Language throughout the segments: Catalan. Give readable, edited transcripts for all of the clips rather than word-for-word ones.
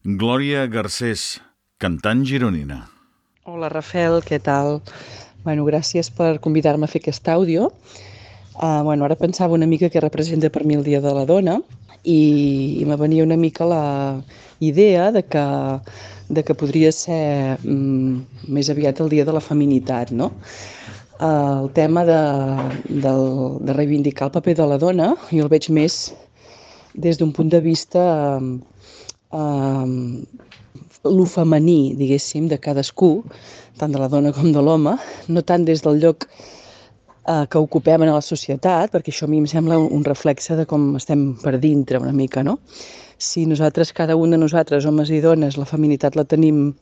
Glòria Garcés, cantant gironina. Hola, Rafel, què tal? Gràcies per convidar-me a fer aquest àudio. Ara pensava una mica què representa per mi el Dia de la Dona i me venia una mica la idea de que podria ser més aviat el Dia de la Feminitat, no? El tema de reivindicar el paper de la dona jo el veig més des d'un punt de vista lo femení, diguéssim, de cadascú, tant de la dona com de l'home, no tant des del lloc que ocupem en la societat, perquè això a mi em sembla un reflexe de com estem per dintre una mica, no? Si nosaltres, cada un de nosaltres, homes i dones, la feminitat la tenim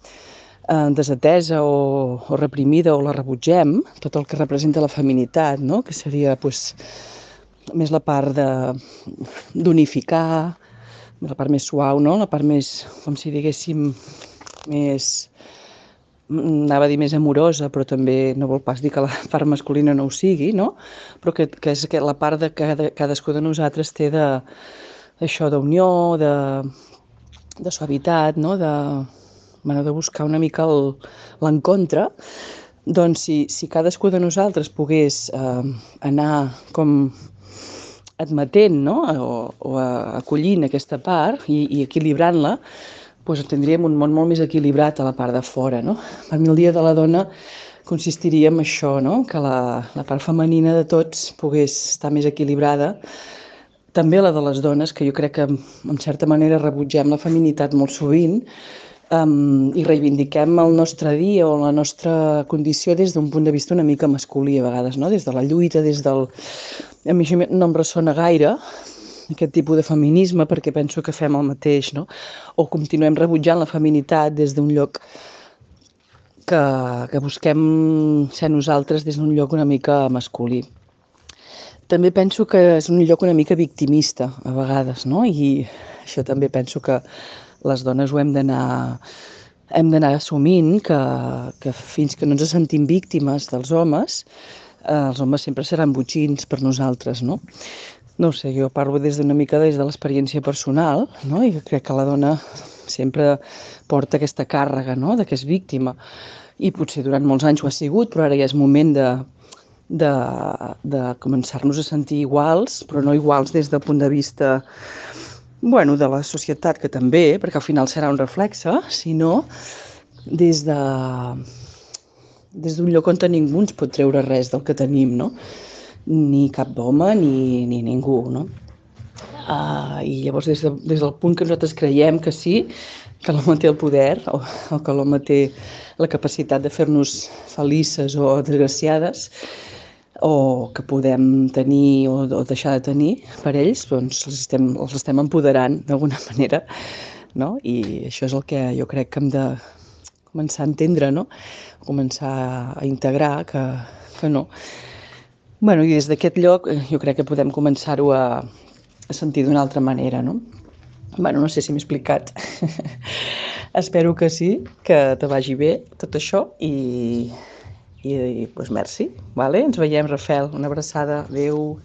desatesa o reprimida o la rebutgem, tot el que representa la feminitat, no? Que seria més la part d'unificar, la part més suau, no? La part més, com si diguéssim, anava a dir més amorosa, però també no vol pas dir que la part masculina no ho sigui, no? Però que és que la part de cadascú de nosaltres té això d'unió, de suavitat, no? De buscar una mica l'encontre. Doncs si cadascú de nosaltres pogués anar com admetent, no? o acollint aquesta part i equilibrant-la, doncs tindríem un món molt més equilibrat a la part de fora, no? Per mi el Dia de la Dona consistiria en això, no? Que la part femenina de tots pogués estar més equilibrada, també la de les dones, que jo crec que en certa manera rebutgem la feminitat molt sovint, i reivindiquem el nostre dia o la nostra condició des d'un punt de vista una mica masculí a vegades, no? Des de la lluita, A mi això no em ressona gaire, aquest tipus de feminisme, perquè penso que fem el mateix, no? O continuem rebutjant la feminitat des d'un lloc que busquem ser nosaltres des d'un lloc una mica masculí. També penso que és un lloc una mica victimista, a vegades, no? I això també penso que les dones ho hem d'anar assumint, que fins que no ens sentim víctimes dels homes, els homes sempre seran botxins per nosaltres, no? No ho sé, jo parlo des de l'experiència personal, no? I crec que la dona sempre porta aquesta càrrega, no? De que és víctima. I potser durant molts anys ho ha sigut, però ara ja és moment de començar-nos a sentir iguals, però no iguals des del punt de vista de la societat, que també, perquè al final serà un reflexe, sinó des d'un lloc on ningú ens pot treure res del que tenim, no? Ni cap home ni ningú, no? I llavors des del punt que nosaltres creiem que sí, que l'home té el poder o que l'home té la capacitat de fer-nos felices o desgraciades, o que podem tenir o deixar de tenir per ells, doncs els estem empoderant d'alguna manera, no? I això és el que jo crec que hem de començar a entendre, no? Començar a integrar que no. I des d'aquest lloc jo crec que podem començar-ho a sentir d'una altra manera, no? No sé si m'he explicat. Espero que sí, que te vagi bé tot això i doncs merci. Vale? Ens veiem, Rafel. Una abraçada. Adéu.